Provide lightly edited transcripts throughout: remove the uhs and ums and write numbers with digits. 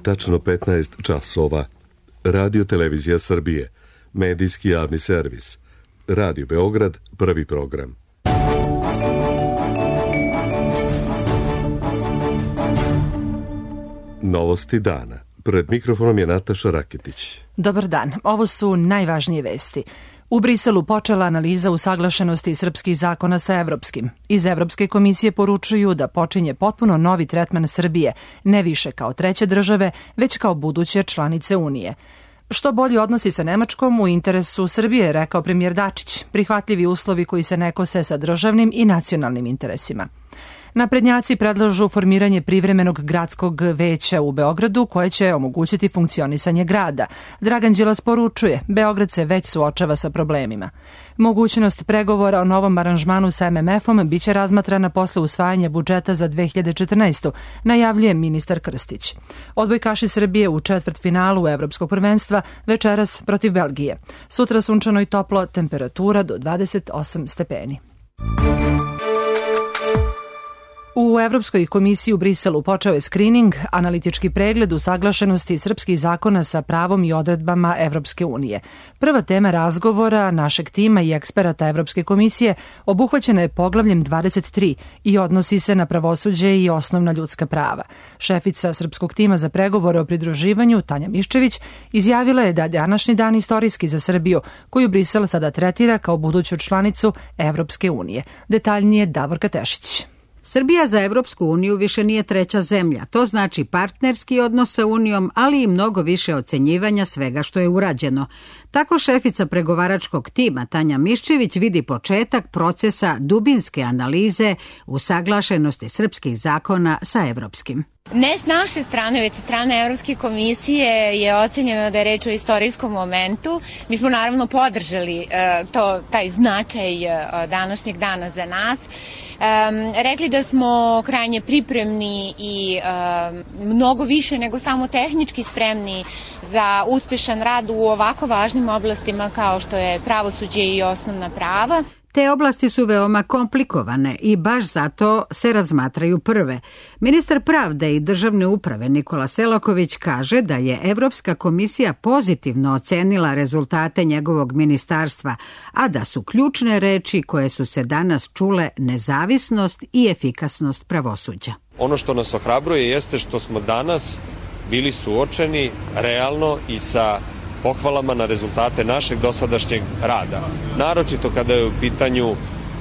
tačno 15 časova. Radio Televizija Srbije, medijski javni servis. Radio Beograd, prvi program. Novosti dana. Pred mikrofonom je Nataša Raketić. Dobar dan. Ovo su najvažnije vesti. U Briselu počela analiza usaglašenosti srpskih zakona sa evropskim. Iz Evropske komisije poručuju da počinje potpuno novi tretman Srbije, ne više kao treće države, već kao buduće članice Unije. Što bolji odnosi sa Nemačkom u interesu Srbije, rekao premijer Dačić, prihvatljivi uslovi koji se ne kose sa državnim i nacionalnim interesima. Naprednjaci predlažu formiranje privremenog gradskog veća u Beogradu koje će omogućiti funkcionisanje grada. Dragan Đilas poručuje, Beograd se već suočava sa problemima. Mogućnost pregovora o novom aranžmanu sa MMF-om biće razmatrana posle usvajanja budžeta za 2014. najavljuje ministar Krstić. Odbojkaši Srbije u četvrtfinalu Evropskog prvenstva večeras protiv Belgije. Sutra sunčano i toplo, temperatura do 28 stepeni. U Evropskoj komisiji u Briselu počeo je skrining, analitički pregled usaglašenosti srpskih zakona sa pravom i odredbama Evropske unije. Prva tema razgovora našeg tima i eksperata Evropske komisije obuhvaćena je poglavljem 23 i odnosi se na pravosuđe i osnovna ljudska prava. Šefica srpskog tima za pregovore o pridruživanju, Tanja Miščević, izjavila je da je današnji dan istorijski za Srbiju, koju Brisel sada tretira kao buduću članicu Evropske unije. Detaljnije Davorka Tešić. Srbija za Evropsku uniju više nije treća zemlja. To znači partnerski odnos sa Unijom, ali i mnogo više ocenjivanja svega što je urađeno. Tako šefica pregovaračkog tima Tanja Miščević vidi početak procesa dubinske analize usaglašenosti srpskih zakona sa evropskim. Ne s naše strane, već sa strane Evropske komisije je ocenjeno da je reč o istorijskom momentu. Mi smo naravno podržali taj značaj današnjeg dana za nas. Rekli da smo krajnje pripremni i mnogo više nego samo tehnički spremni za uspešan rad u ovako važnim oblastima kao što je pravosuđe i osnovna prava. Te oblasti su veoma komplikovane i baš zato se razmatraju prve. Ministar pravde i državne uprave Nikola Selaković kaže da je Evropska komisija pozitivno ocenila rezultate njegovog ministarstva, a da su ključne reči koje su se danas čule nezavisnost i efikasnost pravosuđa. Ono što nas ohrabruje jeste što smo danas bili suočeni realno i sa pohvalama na rezultate našeg dosadašnjeg rada. Naročito kada je u pitanju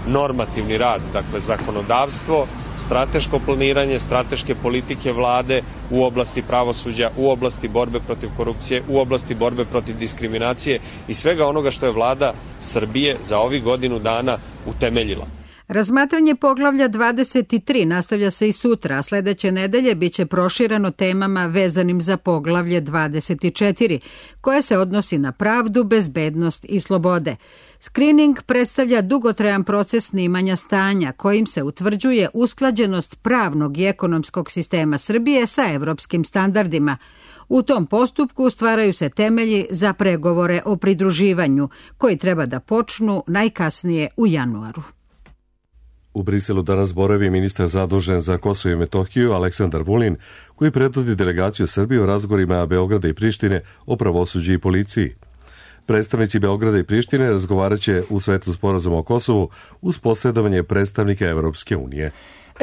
normativni rad, dakle zakonodavstvo, strateško planiranje, strateške politike vlade u oblasti pravosuđa, u oblasti borbe protiv korupcije, u oblasti borbe protiv diskriminacije i svega onoga što je vlada Srbije za ovih godinu dana utemeljila. Razmatranje poglavlja 23 nastavlja se i sutra, a sledeće nedelje biće prošireno temama vezanim za poglavlje 24, koje se odnosi na pravdu, bezbednost i slobode. Skrining predstavlja dugotrajan proces snimanja stanja, kojim se utvrđuje usklađenost pravnog i ekonomskog sistema Srbije sa evropskim standardima. U tom postupku stvaraju se temelji za pregovore o pridruživanju, koji treba da počnu najkasnije u januaru. U Briselu danas boravi ministar zadužen za Kosovo i Metohiju Aleksandar Vulin, koji predvodi delegaciju Srbije u razgovorima Beograda i Prištine o pravosuđu i policiji. Predstavnici Beograda i Prištine razgovarat će u svetlu sporazuma o Kosovu uz posredovanje predstavnika Evropske unije.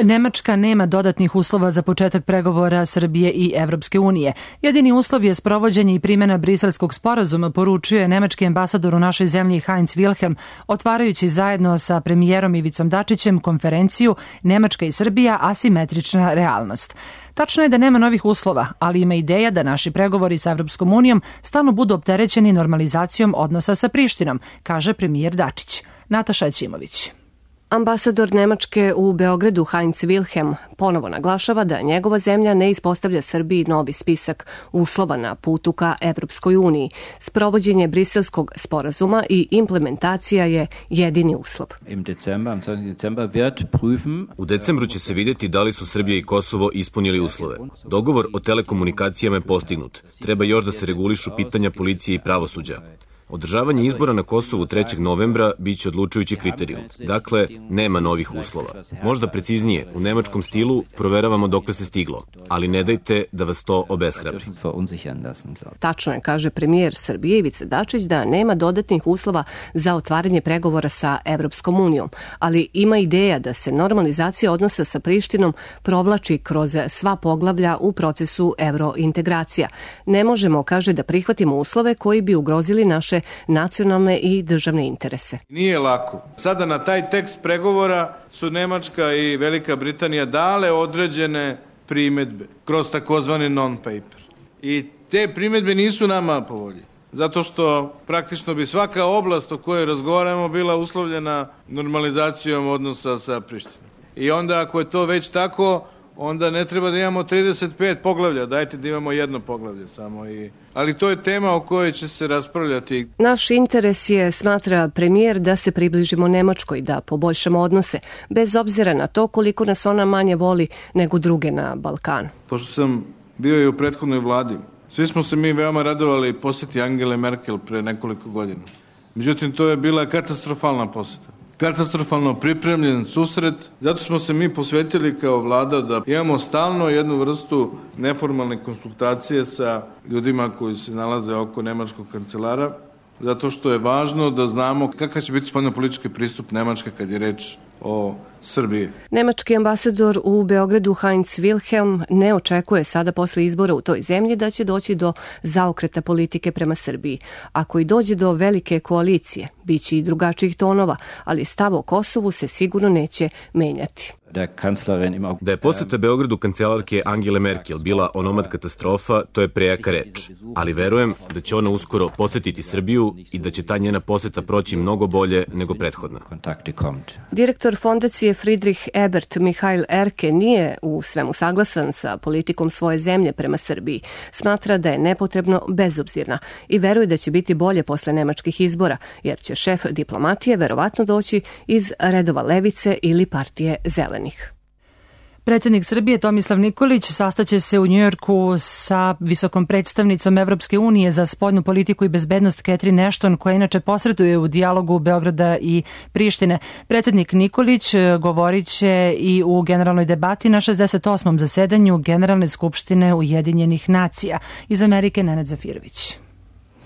Nemačka nema dodatnih uslova za početak pregovora Srbije i Evropske unije. Jedini uslov je sprovođenje i primjena briselskog sporazuma, poručuje nemački ambasador u našoj zemlji Heinz Wilhelm, otvarajući zajedno sa premijerom Ivicom Dačićem konferenciju Nemačka i Srbija asimetrična realnost. Tačno je da nema novih uslova, ali ima ideja da naši pregovori sa Evropskom unijom stalno budu opterećeni normalizacijom odnosa sa Prištinom, kaže premijer Dačić. Nataša Ćimović. Ambasador Nemačke u Beogradu Heinz Wilhelm ponovo naglašava da njegova zemlja ne ispostavlja Srbiji novi spisak uslova na putu ka Evropskoj uniji. Sprovođenje briselskog sporazuma i implementacija je jedini uslov. U decembru će se vidjeti da li su Srbija i Kosovo ispunili uslove. Dogovor o telekomunikacijama je postignut. Treba još da se regulišu pitanja policije i pravosuđa. Održavanje izbora na Kosovu 3. novembra biće odlučujući kriterijum. Dakle, nema novih uslova. Možda preciznije, u nemačkom stilu proveravamo dokle se stiglo, ali ne dajte da vas to obeshrabri. Tačno je, kaže premijer Srbije Ivica Dačić, da nema dodatnih uslova za otvaranje pregovora sa Evropskom unijom, ali ima ideja da se normalizacija odnosa sa Prištinom provlači kroz sva poglavlja u procesu evrointegracija. Ne možemo, kaže, da prihvatimo uslove koji bi ugrozili naše nacionalne i državne interese. Nije lako. Sada na taj tekst pregovora su Nemačka i Velika Britanija dale određene primedbe kroz takozvani non-paper. I te primedbe nisu nama po volji. Zato što praktično bi svaka oblast o kojoj razgovaramo bila uslovljena normalizacijom odnosa sa Prištinom. I onda ako je to već tako, onda ne treba da imamo 35 poglavlja, dajte da imamo jedno poglavlje samo. Ali to je tema o kojoj će se raspravljati. Naš interes je, smatra premijer, da se približimo Nemačkoj, da poboljšamo odnose, bez obzira na to koliko nas ona manje voli nego druge na Balkanu. Pošto sam bio i u prethodnoj vladi, svi smo se mi veoma radovali poseti Angele Merkel pre nekoliko godina. Međutim, to je bila katastrofalna poseta. Katastrofalno pripremljen susret, zato smo se mi posvetili kao vlada da imamo stalno jednu vrstu neformalne konsultacije sa ljudima koji se nalaze oko nemačkog kancelara, zato što je važno da znamo kakav će biti spoljnopolitički pristup Nemačke kad je reč o Srbiji. Nemački ambasador u Beogradu Heinz Wilhelm ne očekuje sada posle izbora u toj zemlji da će doći do zaokreta politike prema Srbiji. Ako i dođe do velike koalicije, biće i drugačijih tonova, ali stav o Kosovu se sigurno neće menjati. Da je poseta Beogradu kancelarke Angele Merkel bila onomad katastrofa, to je prejaka reč. Ali verujem da će ona uskoro posetiti Srbiju i da će ta njena poseta proći mnogo bolje nego prethodna. Direktor fondacije Friedrich Ebert Mihail Erke nije u svemu saglasan sa politikom svoje zemlje prema Srbiji. Smatra da je nepotrebno bezobzirna i veruje da će biti bolje posle nemačkih izbora, jer će šef diplomatije verovatno doći iz redova Levice ili partije Zelenih. Predsjednik Srbije Tomislav Nikolić sastaće se u Njujorku sa visokom predstavnicom Evropske unije za spoljnu politiku i bezbednost Catherine Ashton, koja inače posreduje u dijalogu Beograda i Prištine. Predsjednik Nikolić govorit će i u generalnoj debati na 68. zasedanju Generalne skupštine Ujedinjenih nacija. Iz Amerike Nenad Zafirović.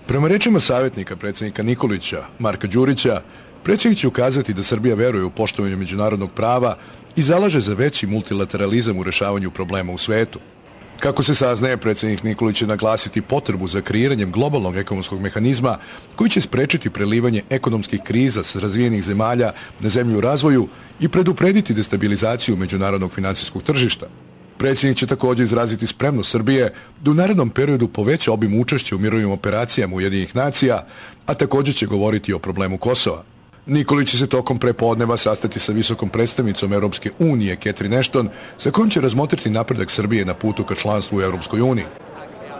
Prema rečima savjetnika predsjednika Nikolića, Marka Đurića, predsjednik će ukazati da Srbija veruje u poštovanje međunarodnog prava i zalaže za veći multilateralizam u rešavanju problema u svetu. Kako se saznaje, predsjednik Nikolić će naglasiti potrebu za kreiranjem globalnog ekonomskog mehanizma koji će sprečiti prelivanje ekonomskih kriza sa razvijenih zemalja na zemlju u razvoju i preduprediti destabilizaciju međunarodnog finansijskog tržišta. Predsjednik će također izraziti spremnost Srbije da u narednom periodu poveća obim učešća u mirovnim operacijama Ujedinjenih nacija, a također će govoriti o problemu Kosova. Nikolić će se tokom prepodneva sastati sa visokom predstavnicom Europske unije Catherine Ashton, sa kojom će razmotriti napredak Srbije na putu ka članstvu u Europskoj uniji.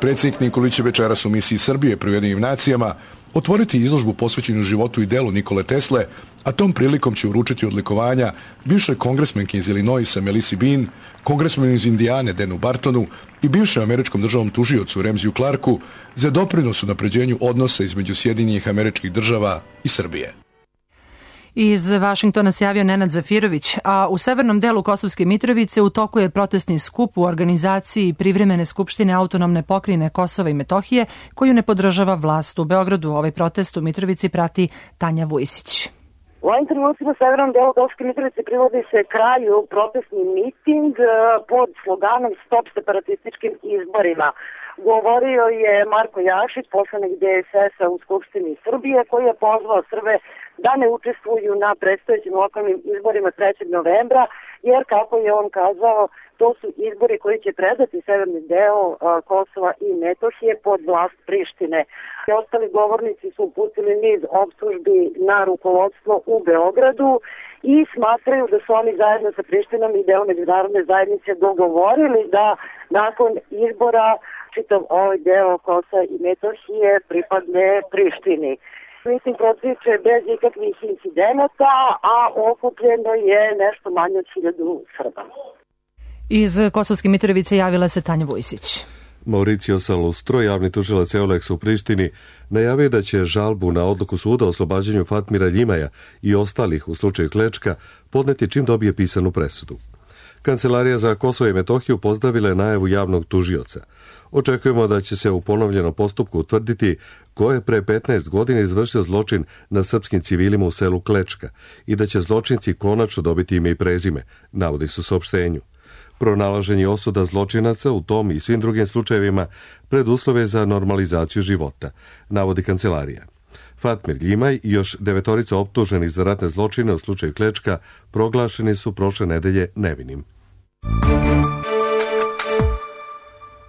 Predsjednik Nikolić će večeras u misiji Srbije pri Ujedinjenim nacijama otvoriti izložbu posvećenu životu i delu Nikole Tesle, a tom prilikom će uručiti odlikovanja bivšoj kongresmenki iz Illinoisa Melissa Bean, kongresmenu iz Indijane Denu Bartonu i bivšem američkom državnom tužiocu Remziju Clarku za doprinos u napređenju odnosa između Sjedinjenih Američkih Država i Srbije. Iz Vašingtona se javio Nenad Zafirović, a u severnom delu Kosovske Mitrovice u toku je protestni skup u organizaciji Privremene skupštine autonomne pokrajine Kosova i Metohije, koju ne podržava vlast u Beogradu. Ovaj protest u Mitrovici prati Tanja Vujsić. U ovim trenucima u severnom delu Kosovske Mitrovice privodi se kraju protestni miting pod sloganom Stop separatističkim izborima. Govorio je Marko Jašić, poslanik DSS-a u Skupštini Srbije, koji je pozvao Srbe da ne učestvuju na predstojećim lokalnim izborima 3. novembra, jer, kako je on kazao, to su izbori koji će predati severni deo Kosova i Metohije pod vlast Prištine. Ostali govornici su uputili niz optužbi na rukovodstvo u Beogradu i smatraju da su oni zajedno sa Prištinom i deo međunarodne zajednice dogovorili da nakon izbora čitav ovaj deo Kosova i Metohije pripadne Prištini. Mislim, protiče bez ikakvih incidenata, a okupljeno je nešto manje od 1000 Srba. Iz Kosovske Mitrovice javila se Tanja Vujsić. Mauricio Salustro, javni tužilac Euleksa u Prištini, najavio da će žalbu na odluku suda o oslobađanju Fatmira Ljimaja i ostalih u slučaju Klečka podneti čim dobije pisanu presudu. Kancelarija za Kosovo i Metohiju pozdravila je najavu javnog tužioca. Očekujemo da će se u ponovljenom postupku utvrditi ko je pre 15 godina izvršio zločin na srpskim civilima u selu Klečka i da će zločinci konačno dobiti ime i prezime, navodi se u saopštenju. Pronalaženje osuda zločinaca u tom i svim drugim slučajevima preduslove za normalizaciju života, navodi kancelarija. Fatmir Ljimaj i još 9 optuženih za ratne zločine u slučaju Klečka proglašeni su prošle nedelje nevinim.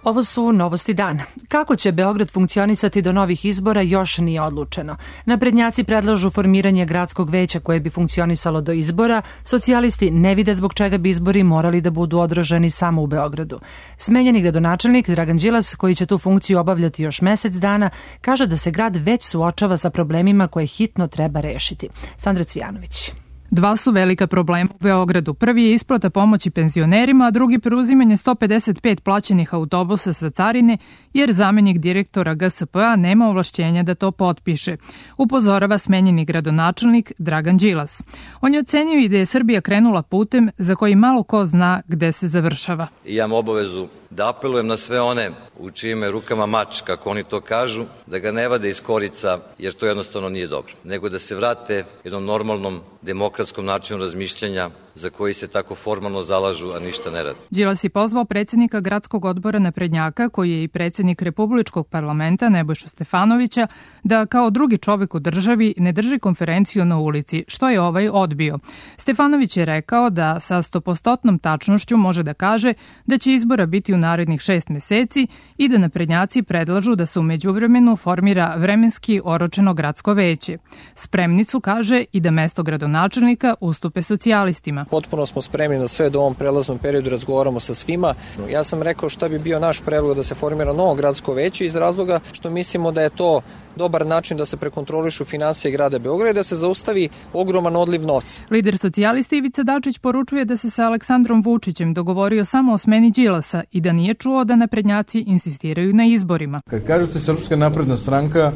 Ovo su novosti dana. Kako će Beograd funkcionisati do novih izbora još nije odlučeno. Naprednjaci predlažu formiranje gradskog veća koje bi funkcionisalo do izbora. Socijalisti ne vide zbog čega bi izbori morali da budu održani samo u Beogradu. Smenjeni gradonačelnik Dragan Đilas, koji će tu funkciju obavljati još mesec dana, kaže da se grad već suočava sa problemima koje hitno treba rešiti. Sandra Cvijanović. Dva su velika problema u Beogradu. Prvi je isplata pomoći penzionerima, a drugi preuzimanje 155 plaćenih autobusa sa carine, jer zamenik direktora GSP-a nema ovlašćenja da to potpiše, upozorava smenjeni gradonačelnik Dragan Đilas. On je ocenio i da je Srbija krenula putem za koji malo ko zna gde se završava. Imam obavezu da apelujem na sve one u čijim je rukama mač, kako oni to kažu, da ga ne vade iz korica, jer to jednostavno nije dobro, nego da se vrate jednom normalnom demokratskom načinu razmišljanja za koji se tako formalno zalažu, a ništa ne rade. Đilas je pozvao predsjednika gradskog odbora naprednjaka, koji je i predsjednik Republičkog parlamenta Nebojšu Stefanovića, da kao drugi čovjek u državi ne drži konferenciju na ulici, što je ovaj odbio. Stefanović je rekao da sa 100% tačnošću može da kaže da će izbora biti u narednih 6 meseci i da naprednjaci predlažu da se u međuvremenu formira vremenski oročeno gradsko veće. Spremni su, kaže, i da mesto gradonačelnika ustupe socijalistima. Potpuno smo spremni na sve da u ovom prelaznom periodu razgovaramo sa svima. Ja sam rekao šta bi bio naš predlog da se formira novo gradsko veće iz razloga što mislimo da je to dobar način da se prekontrolišu finansije grada Beograda i da se zaustavi ogroman odliv novca. Lider socijalisti Ivica Dačić poručuje da se sa Aleksandrom Vučićem dogovorio samo o smeni Đilasa i da nije čuo da naprednjaci insistiraju na izborima. Kad kažete Srpska napredna stranka,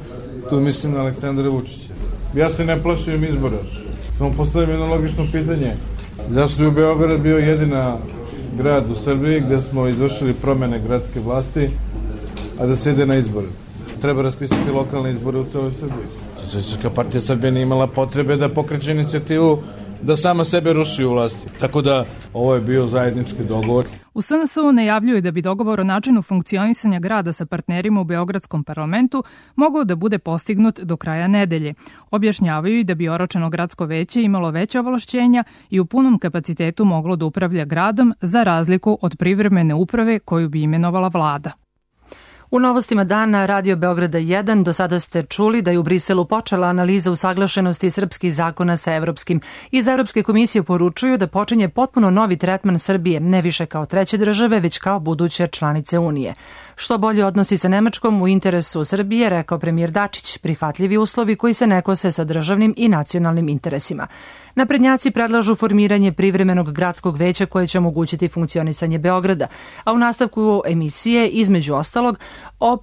tu mislim na Aleksandra Vučića. Ja se ne plašim izbora. Samo postavim jedno logično pitanje. Zašto je u Beograd bio jedina grad u Srbiji gde smo izvršili promene gradske vlasti, a da se ide na izbore? Treba raspisati lokalne izbore u celoj Srbiji. Socijalistička partija Srbije nije imala potrebe da pokreće inicijativu da sama sebe ruši u vlasti. Tako da ovo je bio zajednički dogovor. U SNS-u najavljuju da bi dogovor o načinu funkcionisanja grada sa partnerima u Beogradskom parlamentu mogao da bude postignut do kraja nedelje. Objašnjavaju i da bi oročeno gradsko veće imalo veća ovlašćenja i u punom kapacitetu moglo da upravlja gradom za razliku od privremene uprave koju bi imenovala vlada. U novostima dana Radio Beograda 1 do sada ste čuli da je u Briselu počela analiza usaglašenosti srpskih zakona sa evropskim. Iz Evropske komisije poručuju da počinje potpuno novi tretman Srbije, ne više kao treće države, već kao buduće članice Unije. Što bolje odnosi sa Nemačkom u interesu Srbije, rekao premijer Dačić, prihvatljivi uslovi koji se ne kose sa državnim i nacionalnim interesima. Naprednjaci predlažu formiranje privremenog gradskog veća koje će omogućiti funkcionisanje Beograda, a u nastavku emisije, između ostalog, o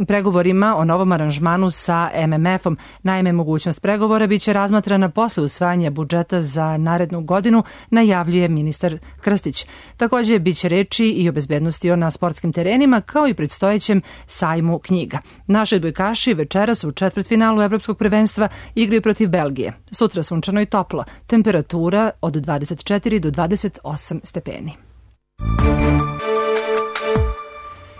pregovorima o novom aranžmanu sa MMF-om. Naime, mogućnost pregovora biće razmatrana posle usvajanja budžeta za narednu godinu, najavljuje ministar Krstić. Također biće reči i o bezbednosti na sportskim terenima, kao i predstojećem sajmu knjiga. Naši odbojkaši večeras u četvrtfinalu Evropskog prvenstva igraju protiv Belgije. Sutra sunčano i toplo. Temperatura od 24 do 28 stepeni.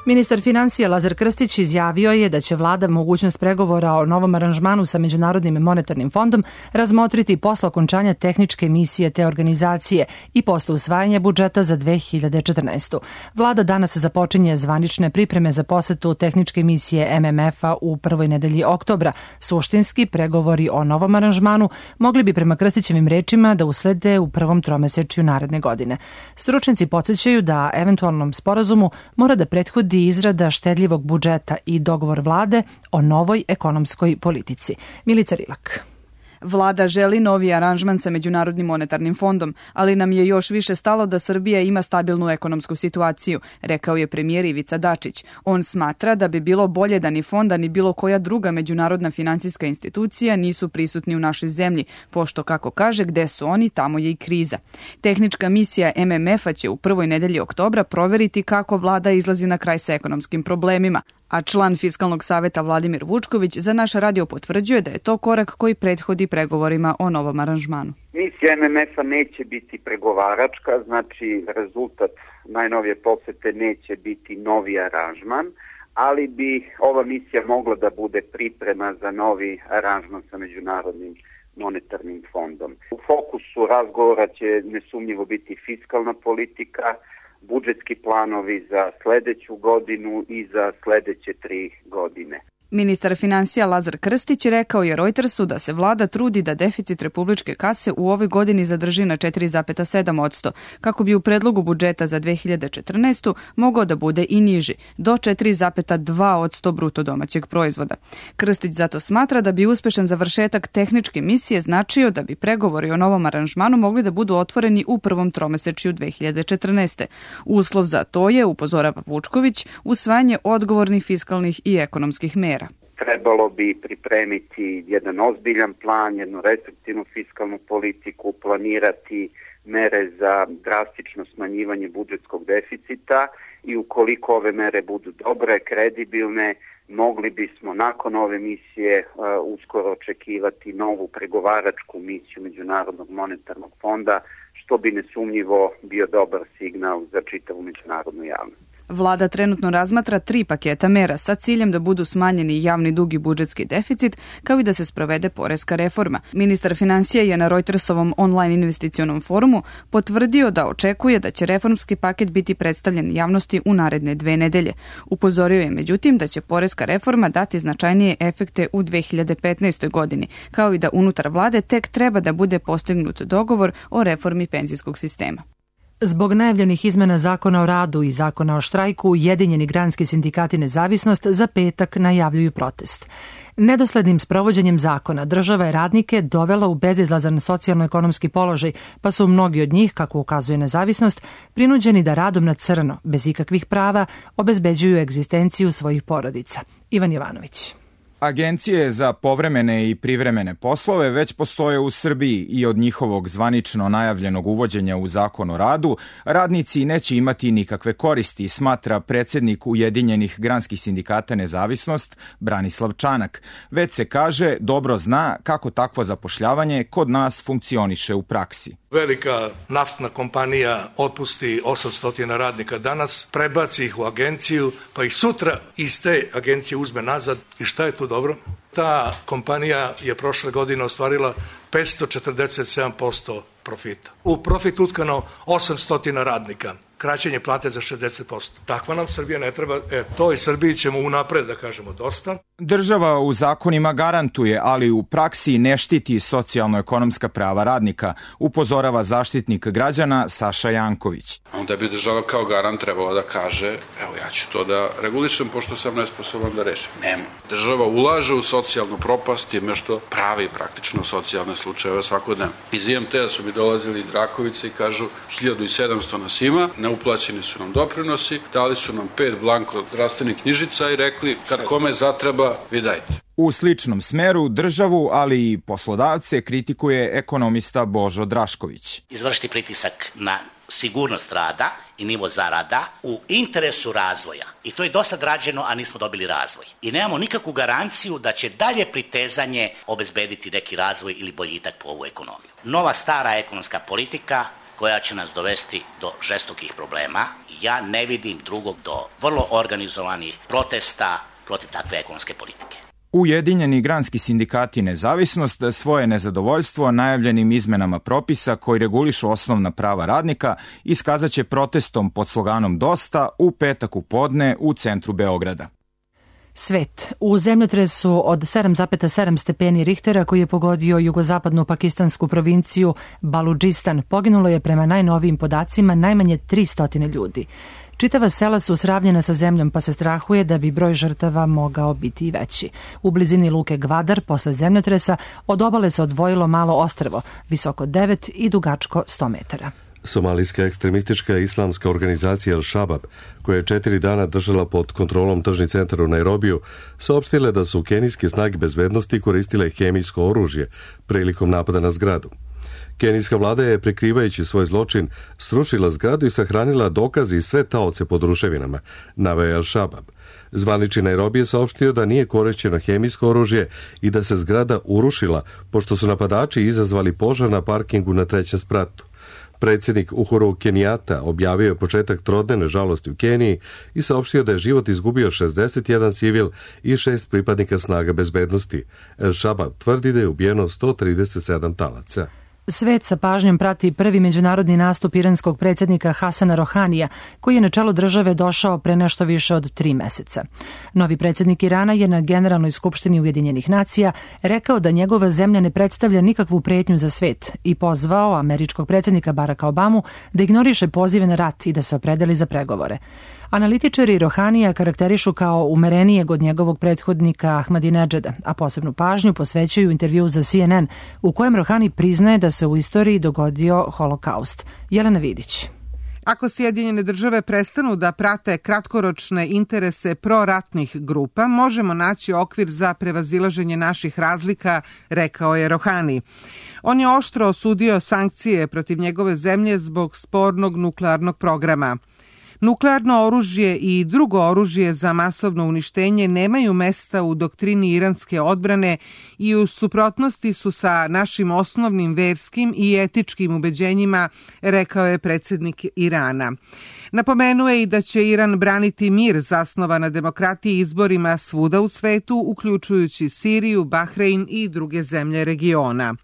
Ministar finansija Lazar Krstić izjavio je da će vlada mogućnost pregovora o novom aranžmanu sa Međunarodnim monetarnim fondom razmotriti posle okončanja tehničke misije te organizacije i posle usvajanja budžeta za 2014. Vlada danas započinje zvanične pripreme za posetu tehničke misije MMF-a u prvoj nedelji oktobra. Suštinski pregovori o novom aranžmanu mogli bi prema Krstićevim rečima da uslede u prvom tromesečju naredne godine. Stručnjaci podsjećaju da eventualnom sporazumu mora da prethodi izrada štedljivog budžeta i dogovor vlade o novoj ekonomskoj politici. Milica Rilak. Vlada želi novi aranžman sa Međunarodnim monetarnim fondom, ali nam je još više stalo da Srbija ima stabilnu ekonomsku situaciju, rekao je premijer Ivica Dačić. On smatra da bi bilo bolje da ni fonda ni bilo koja druga međunarodna finansijska institucija nisu prisutni u našoj zemlji, pošto, kako kaže, gde su oni, tamo je i kriza. Tehnička misija MMF-a će u prvoj nedelji oktobra proveriti kako vlada izlazi na kraj sa ekonomskim problemima, a član Fiskalnog saveta Vladimir Vučković za naš radio potvrđuje da je to korak koji prethodi pregovorima o novom aranžmanu. Misija MMF-a neće biti pregovaračka, znači rezultat najnovije posete neće biti novi aranžman, ali bi ova misija mogla da bude priprema za novi aranžman sa Međunarodnim monetarnim fondom. U fokusu razgovora će nesumnjivo biti fiskalna politika, budžetski planovi za sledeću godinu i za sledeće 3 godine. Ministar finansija Lazar Krstić rekao je Reutersu da se vlada trudi da deficit republičke kase u ovoj godini zadrži na 4,7%, kako bi u predlogu budžeta za 2014. mogao da bude i niži, do 4,2% bruto domaćeg proizvoda. Krstić zato smatra da bi uspešan završetak tehničke misije značio da bi pregovori o novom aranžmanu mogli da budu otvoreni u prvom tromesečju 2014. Uslov za to je, upozorava Vučković, usvajanje odgovornih fiskalnih i ekonomskih mera. Trebalo bi pripremiti jedan ozbiljan plan, jednu restriktivnu fiskalnu politiku, planirati mere za drastično smanjivanje budžetskog deficita i ukoliko ove mere budu dobre, kredibilne, mogli bismo nakon ove misije uskoro očekivati novu pregovaračku misiju Međunarodnog monetarnog fonda, što bi nesumnjivo bio dobar signal za čitavu međunarodnu javnost. Vlada trenutno razmatra 3 paketa mera sa ciljem da budu smanjeni javni dug i budžetski deficit, kao i da se sprovede poreska reforma. Ministar finansija je na Reutersovom online investicionom forumu potvrdio da očekuje da će reformski paket biti predstavljen javnosti u naredne 2 nedelje. Upozorio je međutim da će poreska reforma dati značajnije efekte u 2015. godini, kao i da unutar vlade tek treba da bude postignut dogovor o reformi penzijskog sistema. Zbog najavljenih izmena Zakona o radu i Zakona o štrajku, Ujedinjeni granski sindikati Nezavisnost za petak najavljuju protest. Nedoslednim sprovođenjem zakona država je radnike dovela u bezizlazan socijalno-ekonomski položaj, pa su mnogi od njih, kako ukazuje Nezavisnost, prinuđeni da radom na crno, bez ikakvih prava, obezbeđuju egzistenciju svojih porodica. Ivan Jovanović. Agencije za povremene i privremene poslove već postoje u Srbiji i od njihovog zvanično najavljenog uvođenja u Zakon o radu radnici neće imati nikakve koristi, smatra predsednik Ujedinjenih granskih sindikata Nezavisnost Branislav Čanak. Već se kaže dobro zna kako takvo zapošljavanje kod nas funkcioniše u praksi. Velika naftna kompanija otpusti 800 radnika danas, prebaci ih u agenciju, pa ih sutra iz te agencije uzme nazad. I šta je tu dobro? Ta kompanija je prošle godine ostvarila 547% profita. U profit utkano 800 radnika. Kraćenje plate za 60%. Takva nam Srbija ne treba, toj Srbiji ćemo unapred da kažemo dosta. Država u zakonima garantuje, ali u praksi ne štiti socijalno-ekonomska prava radnika, upozorava zaštitnik građana Saša Janković. Onda bi država kao garant trebala da kaže, evo ja ću to da regulišem pošto sam nesposoban da rešim. Nema. Država ulaže u socijalnu propast time što pravi praktično socijalne slučajeve svakodnevno. Iz IMT-a su mi dolazili iz Rakovice i kažu 1700 nas ima, neuplaćeni su nam doprinosi, dali su nam 5 blanko zdravstvenih knjižica i rekli kad kome zatreba, vi dajte. U sličnom smeru državu, ali i poslodavce kritikuje ekonomista Božo Drašković. Izvršiti pritisak na sigurnost rada i nivo zarada u interesu razvoja. I to je dosad rađeno, a nismo dobili razvoj. I nemamo nikakvu garanciju da će dalje pritezanje obezbediti neki razvoj ili boljitak po ovu ekonomiju. Nova stara ekonomska politika koja će nas dovesti do žestokih problema. Ja ne vidim drugog do vrlo organizovanih protesta protiv takve ekonomske politike. Ujedinjeni granski sindikati Nezavisnost svoje nezadovoljstvo najavljenim izmenama propisa koji regulišu osnovna prava radnika iskazaće protestom pod sloganom Dosta u petak u podne u centru Beograda. Svet. U zemljotresu od 7,7 stepeni Richtera koji je pogodio jugozapadnu pakistansku provinciju Baludžistan poginulo je prema najnovijim podacima najmanje 300 ljudi. Čitava sela su sravnjena sa zemljom pa se strahuje da bi broj žrtava mogao biti i veći. U blizini luke Gvadar posle zemljotresa od obale se odvojilo malo ostrvo, visoko 9 i dugačko 100 metara. Somalijska ekstremistička islamska organizacija Al-Shabaab, koja je 4 dana držala pod kontrolom tržni centar u Nairobiju, saopštile da su kenijske snage bezbednosti koristile hemijsko oružje prilikom napada na zgradu. Kenijska vlada je, prikrivajući svoj zločin, srušila zgradu i sahranila dokaze i sve taoce pod ruševinama, naveo je Al-Shabaab. Zvanični Nairobi je saopštio da nije korišćeno hemijsko oružje i da se zgrada urušila, pošto su napadači izazvali požar na parkingu na 3. spratu. Predsjednik Uhuru Kenijata objavio je početak trodnevne žalosti u Keniji i saopštio da je život izgubio 61 civil i 6 pripadnika snaga bezbednosti. Al-Shabaab tvrdi da je ubijeno 137 talaca. Svet sa pažnjom prati prvi međunarodni nastup iranskog predsjednika Hasana Rohanija, koji je na čelo države došao pre nešto više od 3 meseca. Novi predsjednik Irana je na Generalnoj skupštini Ujedinjenih nacija rekao da njegova zemlja ne predstavlja nikakvu pretnju za svet i pozvao američkog predsjednika Baracka Obamu da ignoriše pozive na rat i da se opredeli za pregovore. Analitičari Rohanija karakterišu kao umerenijeg od njegovog prethodnika Ahmadinedžada, a posebnu pažnju posvećuju intervju za CNN u kojem Rohani priznaje da se u istoriji dogodio holokaust. Jelena Vidić. Ako Sjedinjene države prestanu da prate kratkoročne interese proratnih grupa, možemo naći okvir za prevazilaženje naših razlika, rekao je Rohani. On je oštro osudio sankcije protiv njegove zemlje zbog spornog nuklearnog programa. Nuklearno oružje i drugo oružje za masovno uništenje nemaju mesta u doktrini iranske odbrane i u suprotnosti su sa našim osnovnim verskim i etičkim ubeđenjima, rekao je predsjednik Irana. Napomenuo je i da će Iran braniti mir zasnovan na demokratiji i izborima svuda u svetu, uključujući Siriju, Bahrein i druge zemlje regiona.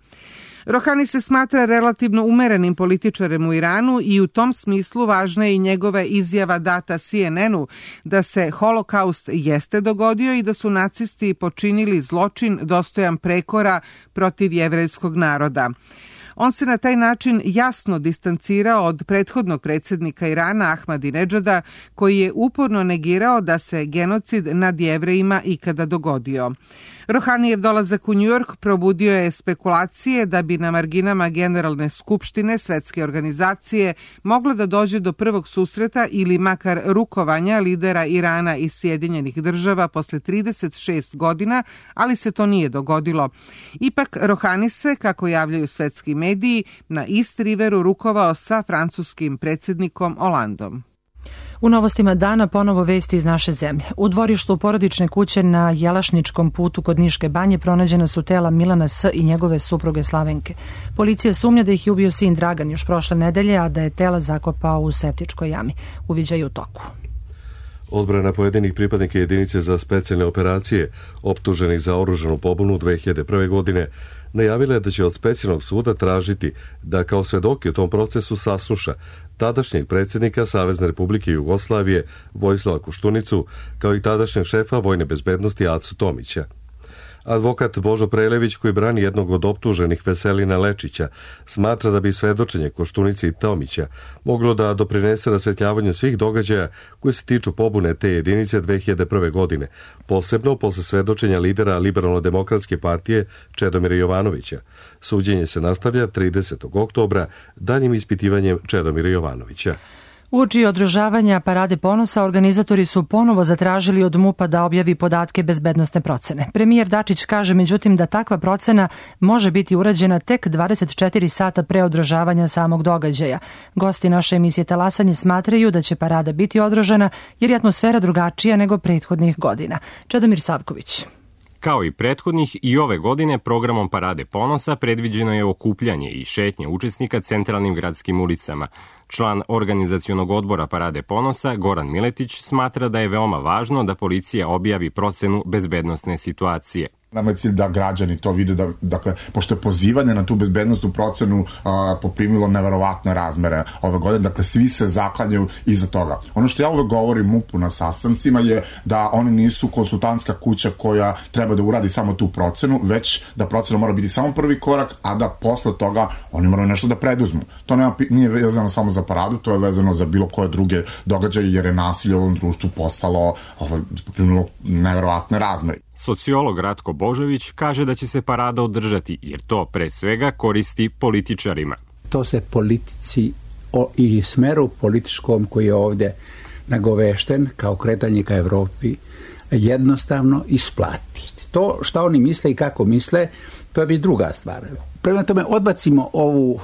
Rohani se smatra relativno umerenim političarem u Iranu i u tom smislu važna je i njegova izjava data CNN-u da se holokaust jeste dogodio i da su nacisti počinili zločin dostojan prekora protiv jevrejskog naroda. On se na taj način jasno distancirao od prethodnog predsjednika Irana Ahmadinedžada, koji je uporno negirao da se genocid nad Jevrejima ikada dogodio. Rohanijev dolazak u Njujork probudio je spekulacije da bi na marginama Generalne skupštine Svetske organizacije moglo da dođe do prvog susreta ili makar rukovanja lidera Irana i Sjedinjenih država posle 36 godina, ali se to nije dogodilo. Ipak Rohani se, kako javljaju svetski mediji, na East Riveru rukovao sa francuskim predsjednikom Hollandom. U novostima dana ponovo vesti iz naše zemlje. U dvorištu porodične kuće na Jelašničkom putu kod Niške banje pronađena su tela Milana S. i njegove supruge Slavenke. Policija sumnja da ih je ubio sin Dragan još prošle nedelje, a da je tela zakopao u septičkoj jami. Uviđaj u toku. Odbrana pojedinih pripadnika jedinice za specijalne operacije optuženih za oružanu pobunu 2001. godine najavila je da će od specijalnog suda tražiti da kao svedoki u tom procesu sasluša tadašnjeg predsjednika Savezne Republike Jugoslavije Vojislava Koštunicu, kao i tadašnjeg šefa vojne bezbednosti Acu Tomića. Advokat Božo Prelević, koji brani jednog od optuženih Veselina Lečića, smatra da bi svedočenje Koštunice i Tomića moglo da doprinese rasvetljavanju svih događaja koji se tiču pobune te jedinice 2001. godine, posebno posle svedočenja lidera Liberalno-demokratske partije Čedomira Jovanovića. Suđenje se nastavlja 30. oktobra daljim ispitivanjem Čedomira Jovanovića. Uoči održavanja Parade ponosa, organizatori su ponovo zatražili od MUP-a da objavi podatke bezbednosne procene. Premijer Dačić kaže međutim da takva procena može biti urađena tek 24 sata pre održavanja samog događaja. Gosti naše emisije Talasanje smatraju da će parada biti održana jer je atmosfera drugačija nego prethodnih godina. Čedomir Savković. Kao i prethodnih, i ove godine programom Parade ponosa predviđeno je okupljanje i šetnje učesnika centralnim gradskim ulicama. Član organizacionog odbora Parade ponosa, Goran Miletić, smatra da je veoma važno da policija objavi procenu bezbednosne situacije. Nama je cilj da građani to vide, dakle, pošto je pozivanje na tu bezbednostnu procenu poprimilo neverovatne razmere ove godine, dakle, svi se zaklanjaju iza toga. Ono što ja uvek govorim MUP-u na sastancima je da oni nisu konsultantska kuća koja treba da uradi samo tu procenu, već da procena mora biti samo prvi korak, a da posle toga oni moraju nešto da preduzmu. To nije vezano samo za paradu, to je vezano za bilo koje druge događaje, jer je nasilje u ovom društvu postalo poprimilo neverovatne razmere. Sociolog Ratko Božović kaže da će se parada održati, jer to pre svega koristi političarima. To se politici i smeru političkom koji je ovde nagovešten kao kretanje ka Evropi jednostavno isplati. To šta oni misle i kako misle, to je već druga stvar. Prema tome odbacimo ovu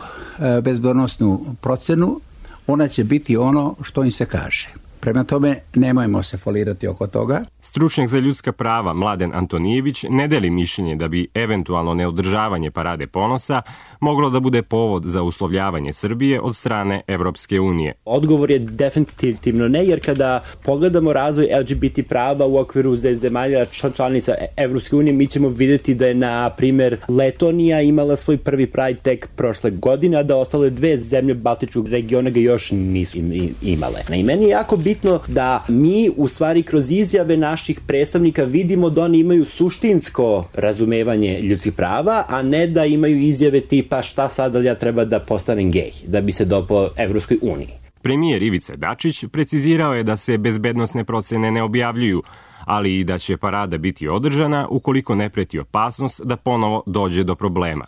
bezbednosnu procenu, ona će biti ono što im se kaže. Prema tome, nemojmo se folirati oko toga. Stručnjak za ljudska prava Mladen Antonijević ne deli mišljenje da bi eventualno neodržavanje Parade ponosa moglo da bude povod za uslovljavanje Srbije od strane Evropske unije. Odgovor je definitivno ne, jer kada pogledamo razvoj LGBT prava u okviru zemalja članica Evropske unije, mi ćemo vidjeti da je, na primer, Letonija imala svoj prvi Pride tek prošle godine, a da ostale dve zemlje Baltičkog regiona ga još nisu imale. I meni je jako bitno da mi u stvari kroz izjave naših predstavnika vidimo da oni imaju suštinsko razumevanje ljudskih prava, a ne da imaju izjave tipa šta sad ja treba da postanem gej, da bi se dopao Evropskoj uniji. Premijer Ivica Dačić precizirao je da se bezbednosne procene ne objavljuju, ali i da će parada biti održana ukoliko ne preti opasnost da ponovo dođe do problema.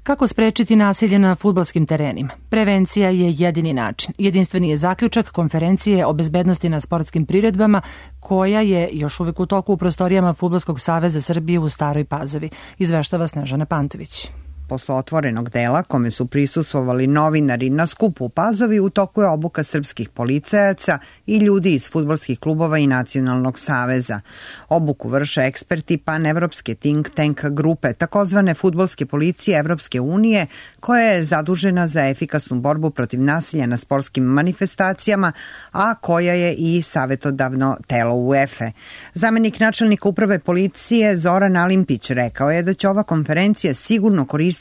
Kako sprečiti nasilje na fudbalskim terenima? Prevencija je jedini način. Jedinstveni je zaključak konferencije o bezbednosti na sportskim priredbama, koja je još uvek u toku u prostorijama Fudbalskog saveza Srbije u Staroj Pazovi. Izveštava Snežana Pantović. Posle otvorenog dela, kome su prisustvovali novinari na skupu u Pazovi, u toku je obuka srpskih policajaca i ljudi iz fudbalskih klubova i Nacionalnog saveza. Obuku vrše eksperti panevropske think tank grupe, takozvane fudbalske policije Evropske unije, koja je zadužena za efikasnu borbu protiv nasilja na sportskim manifestacijama, a koja je i savetodavno telo UEFA. Zamenik načelnika uprave policije Zoran Alimpić rekao je da će ova konferencija sigurno koristiti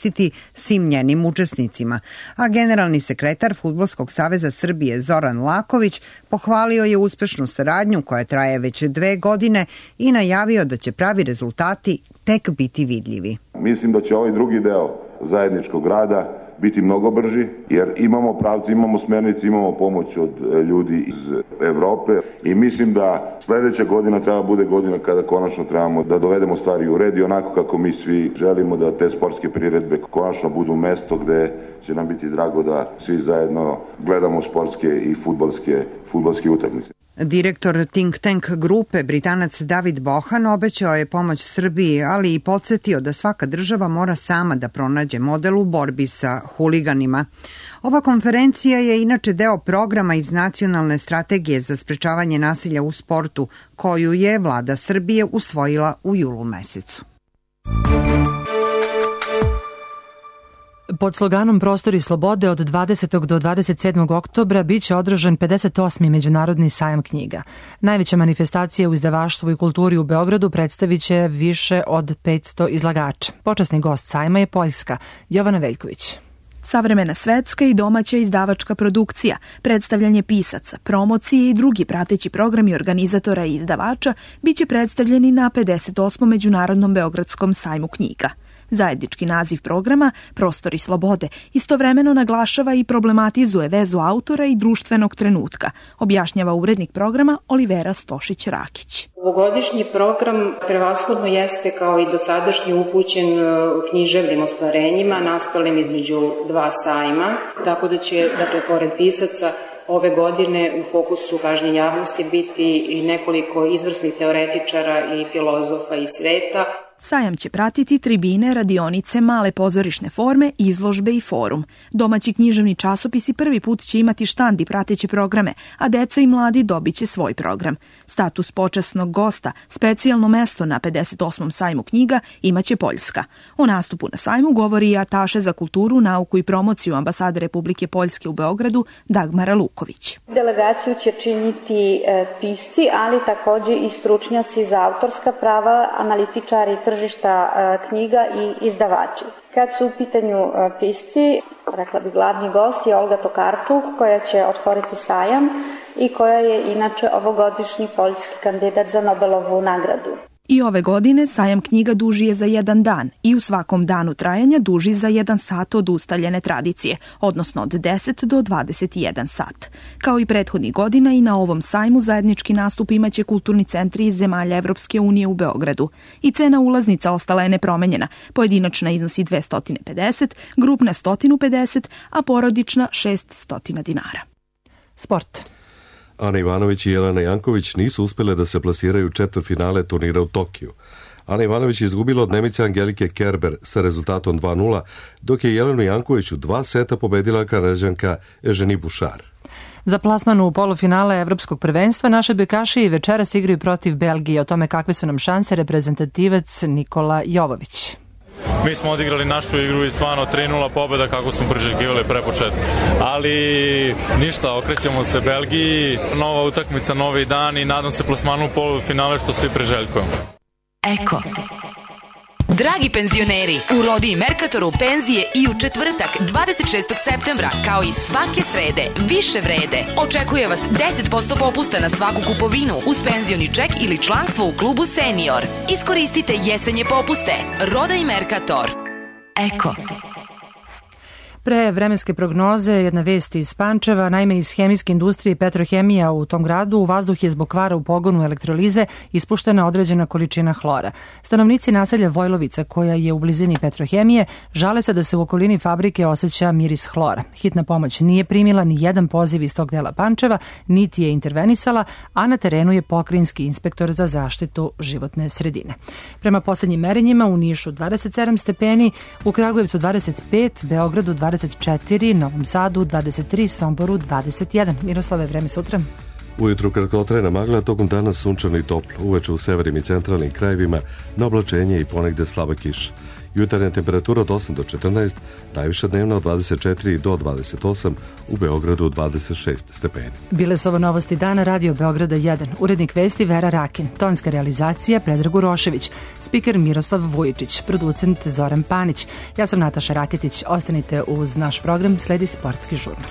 svim njenim učesnicima, a generalni sekretar Fudbalskog saveza Srbije Zoran Laković pohvalio je uspešnu saradnju koja traje već 2 godine i najavio da će pravi rezultati tek biti vidljivi. Mislim da će ovaj drugi deo zajedničkog rada biti mnogo brži, jer imamo pravci, imamo smernice, imamo pomoć od ljudi iz Evrope i mislim da sledeća godina treba bude godina kada konačno trebamo da dovedemo stvari u red i onako kako mi svi želimo da te sportske priredbe konačno budu mesto gde će nam biti drago da svi zajedno gledamo sportske i fudbalske utakmice. Direktor think tank grupe, Britanac David Bohan, obećao je pomoć Srbiji, ali i podsjetio da svaka država mora sama da pronađe model u borbi sa huliganima. Ova konferencija je inače deo programa iz Nacionalne strategije za sprečavanje nasilja u sportu, koju je vlada Srbije usvojila u julu mesecu. Pod sloganom Prostori slobode od 20. do 27. oktobra biće održan 58. Međunarodni sajam knjiga. Najveća manifestacija u izdavaštvu i kulturi u Beogradu predstavit će više od 500 izlagača. Počasni gost sajma je Poljska, Jovana Veljković. Savremena svetska i domaća izdavačka produkcija, predstavljanje pisaca, promocije i drugi prateći programi organizatora i izdavača biće predstavljeni na 58. Međunarodnom Beogradskom sajmu knjiga. Zajednički naziv programa, Prostori slobode, istovremeno naglašava i problematizuje vezu autora i društvenog trenutka, objašnjava urednik programa Olivera Stošić-Rakić. Ovogodišnji program prevashodno jeste kao i dosadašnji upućen književnim ostvarenjima nastalim između dva sajma, tako da će, pored pisaca, ove godine u fokusu pažnje javnosti biti i nekoliko izvrsnih teoretičara i filozofa iz sveta. Sajam će pratiti tribine, radionice, male pozorišne forme, izložbe i forum. Domaći književni časopisi prvi put će imati štand i prateće programe, a deca i mladi dobit će svoj program. Status počasnog gosta, specijalno mesto na 58. sajmu knjiga imaće Poljska. O nastupu na sajmu govori i ataše za kulturu, nauku i promociju ambasade Republike Poljske u Beogradu Dagmara Luković. Delegaciju će činiti pisci, ali takođe i stručnjaci za autorska prava, analitičari tržišta knjiga i izdavači. Kad su u pitanju pisci, rekla bi glavni gost je Olga Tokarčuk, koja će otvoriti sajam i koja je inače ovogodišnji poljski kandidat za Nobelovu nagradu. I ove godine sajam knjiga duži je za 1 dan i u svakom danu trajanja duži za 1 sat od ustaljene tradicije, odnosno od 10 do 21 sat. Kao i prethodnih godina i na ovom sajmu zajednički nastup imaće kulturni centri iz zemalja Evropske unije u Beogradu. I cena ulaznica ostala je nepromenjena, pojedinačna iznosi 250, grupna 150, a porodična 600 dinara. Sport. Ana Ivanović i Jelena Janković nisu uspjele da se plasiraju u četvrtfinale turnira u Tokiju. Ana Ivanović je izgubila od Nemice Angelike Kerber sa rezultatom 2:0, dok je Jelenu Janković u 2 seta pobedila Kanađanka Eženi Bušar. Za plasman u polufinale Evropskog prvenstva naše odbojkaši večeras igraju protiv Belgije. O tome kakve su nam šanse reprezentativac Nikola Jovović. Mi smo odigrali našu igru i stvarno 3:0 pobjeda kako smo priželjkivali pre početka. Ali ništa, okrećemo se Belgiji, nova utakmica, novi dan i nadam se plasmanu u polufinale što svi priželjkujemo. Eko. Dragi penzioneri, u Rodi i Merkatoru penzije i u četvrtak 26. septembra, kao i svake srede, više vrede. Očekuje vas 10% popusta na svaku kupovinu uz penzioni ček ili članstvo u klubu Senior. Iskoristite jesenje popuste. Roda i Merkator. Eko. Pre vremenske prognoze, jedna vest iz Pančeva, naime iz hemijske industrije Petrohemija u tom gradu, u vazduh je zbog kvara u pogonu elektrolize ispuštena određena količina hlora. Stanovnici naselja Vojlovica, koja je u blizini Petrohemije, žale se da se u okolini fabrike osjeća miris hlora. Hitna pomoć nije primila ni jedan poziv iz tog dela Pančeva, niti je intervenisala, a na terenu je pokrajinski inspektor za zaštitu životne sredine. Prema poslednjim merenjima u Nišu 27 stepeni, u Kragujevcu 25, Beogradu 24, Novom Sadu 23, Somboru 21. Miroslave, vreme sutra. Ujutru kratkotrajna magla, tokom dana sunčano i toplo. Uveče u severnim i centralnim krajevima na oblačenje i ponegde slaba kiša. Jutarnja temperatura od 8 do 14, najviša dnevna od 24 do 28, u Beogradu 26 stepeni. Bile su ovo novosti dana Radio Beograda 1. Urednik vesti Vera Rakin, tonska realizacija Predrag Urošević, spiker Miroslav Vujičić, producent Zoran Panić. Ja sam Nataša Raketić. Ostanite uz naš program, sledi sportski žurnal.